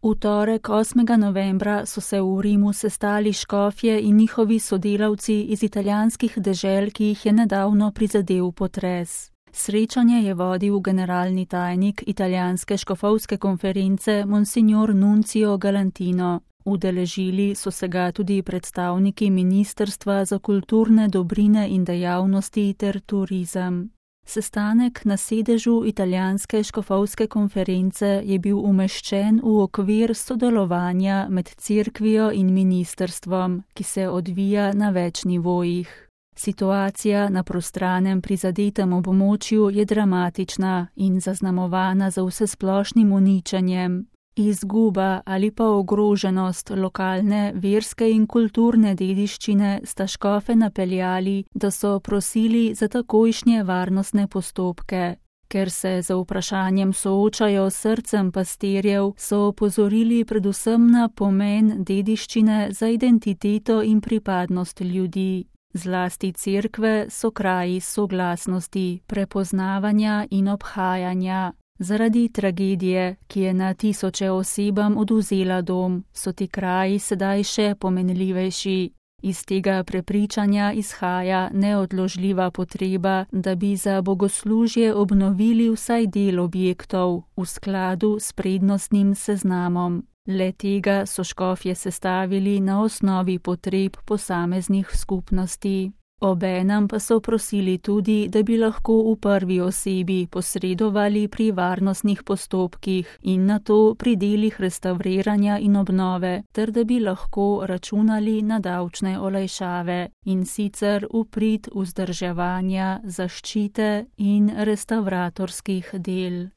V torek 8. novembra so se v Rimu sestali škofje in njihovi sodelavci iz italijanskih dežel, ki jih je nedavno prizadel potres. Srečanje je vodil generalni tajnik italijanske škofovske konference Monsignor Nunzio Galantino. Udeležili so se ga tudi predstavniki Ministrstva za kulturne dobrine in dejavnosti ter turizem. Sestanek na sedežu italijanske škofovske konference je bil umeščen v okvir sodelovanja med cerkvijo in ministrstvom, ki se odvija na več nivojih. Situacija na prostranem prizadetem območju je dramatična in zaznamovana z vsesplošnim uničenjem. Izguba ali pa ogroženost lokalne verske in kulturne dediščine sta škofe napeljali, da so prosili za takojšnje varnostne postopke. Ker se z vprašanjem soočajo s srcem pastirjev, so opozorili predvsem na pomen dediščine za identiteto in pripadnost ljudi. Zlasti cerkve so kraji soglasnosti, prepoznavanja in obhajanja. Zaradi tragedije, ki je na tisoče osebam odvzela dom, so ti kraji sedaj še pomenljivejši. Iz tega prepričanja izhaja neodložljiva potreba, da bi za bogoslužje obnovili vsaj del objektov v skladu s prednostnim seznamom. Le tega so škofje sestavili na osnovi potreb posameznih skupnosti. Obenem pa so prosili tudi, da bi lahko v prvi osebi posredovali pri varnostnih postopkih in nato pri delih restavriranja in obnove, ter da bi lahko računali na davčne olajšave, in sicer v prid vzdrževanja, zaščite in restavratorskih del.